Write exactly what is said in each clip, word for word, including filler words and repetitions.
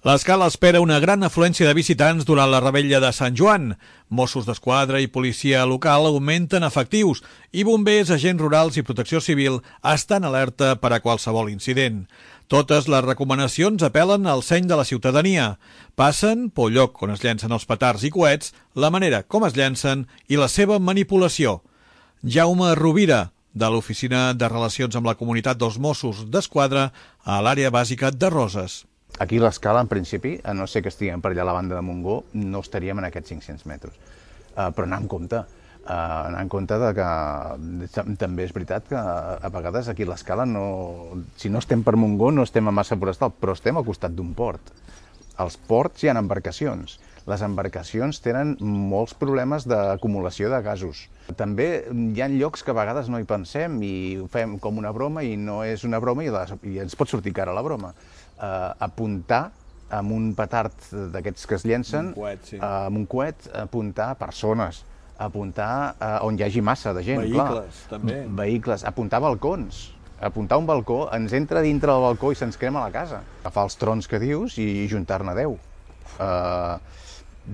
L'Escala espera una gran afluència de visitants durant la revetlla de Sant Joan. Mossos d'Esquadra i policia local augmenten efectius i bombers, agents rurals i protecció civil estan alerta per a qualsevol incident. Totes les recomanacions apel·len al seny de la ciutadania. Passen pel lloc on es llencen els petards i coets, la manera com es llencen i la seva manipulació. Jaume Rovira, de l'Oficina de Relacions amb la Comunitat dels Mossos d'Esquadra a l'àrea bàsica de Roses. Aquí l'Escala, en principi, a no ser que estiguem per allà a la banda de Montgó, no estaríem en aquests cinc-cents metres. Uh, però anar en compte, uh, anar en compte de que també és veritat que a vegades aquí l'Escala, no, si no estem per Montgó, no estem a Massa Forestal, però estem al costat d'un port. Als ports hi ha embarcacions. Les embarcacions tenen molts problemes d'acumulació de gasos. També hi ha llocs que a vegades no hi pensem i ho fem com una broma i no és una broma i, les, i ens pot sortir cara la broma. Uh, apuntar amb un petard d'aquests que es llencen, un coet, sí. uh, amb un coet, apuntar persones, apuntar uh, on hi hagi massa de gent. Vehicles, clar. també. Vehicles, apuntar balcons. Apuntar un balcó, ens entra dintre del balcó i se'ns crema la casa. Agafar els trons que dius i juntar-ne deu. Uh,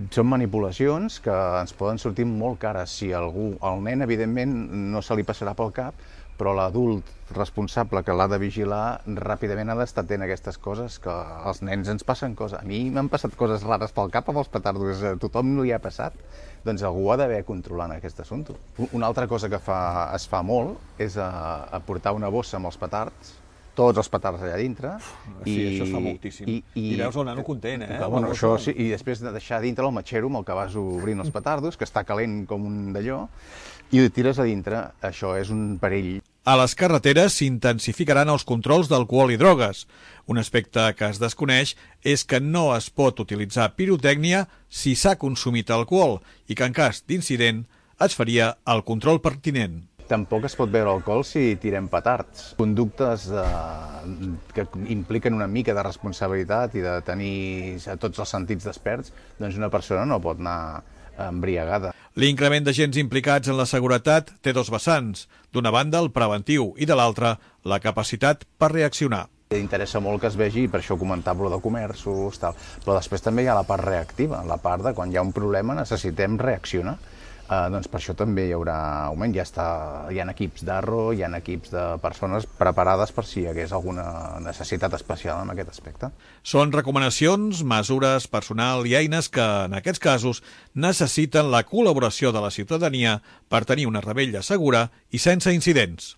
són manipulacions que ens poden sortir molt cares. Si algú, el nen, evidentment, no se li passarà pel cap, però l'adult responsable que l'ha de vigilar ràpidament ha d'estar atent a aquestes coses, que als nens ens passen coses. A mi m'han passat coses rares pel cap amb els petardos, a tothom no li ha passat. Doncs algú ha d'haver controlant aquest assumpte. Una altra cosa que fa, es fa molt és a, a portar una bossa amb els petards, tots els petards allà dintre. Sí, i, això es fa moltíssim. I, i, I veus el nano content, eh? Que, bueno, això, sí, i després de deixar dintre el matxero amb el que vas obrint els petardos, que està calent com un d'allò, i ho tires a dintre. Això és un perill. A les carreteres s'intensificaran els controls d'alcohol i drogues. Un aspecte que es desconeix és que no es pot utilitzar pirotècnia si s'ha consumit alcohol i que en cas d'incident es faria el control pertinent. Tampoc es pot veure alcohol si tirem petards. Conductes eh, que impliquen una mica de responsabilitat i de tenir tots els sentits desperts, doncs una persona no pot anar embriagada. L'increment d'agents implicats en la seguretat té dos vessants. D'una banda, el preventiu, i de l'altra, la capacitat per reaccionar. Interessa molt que es vegi, per això comentava de comerços, tal. Però després també hi ha la part reactiva, la part de quan hi ha un problema necessitem reaccionar. Uh, doncs per això també hi haurà augment. Ja està, hi ha equips d'Arro, hi ha equips de persones preparades per si hi hagués alguna necessitat especial en aquest aspecte. Són recomanacions, mesures, personal i eines que, en aquests casos, necessiten la col·laboració de la ciutadania per tenir una revetlla segura i sense incidents.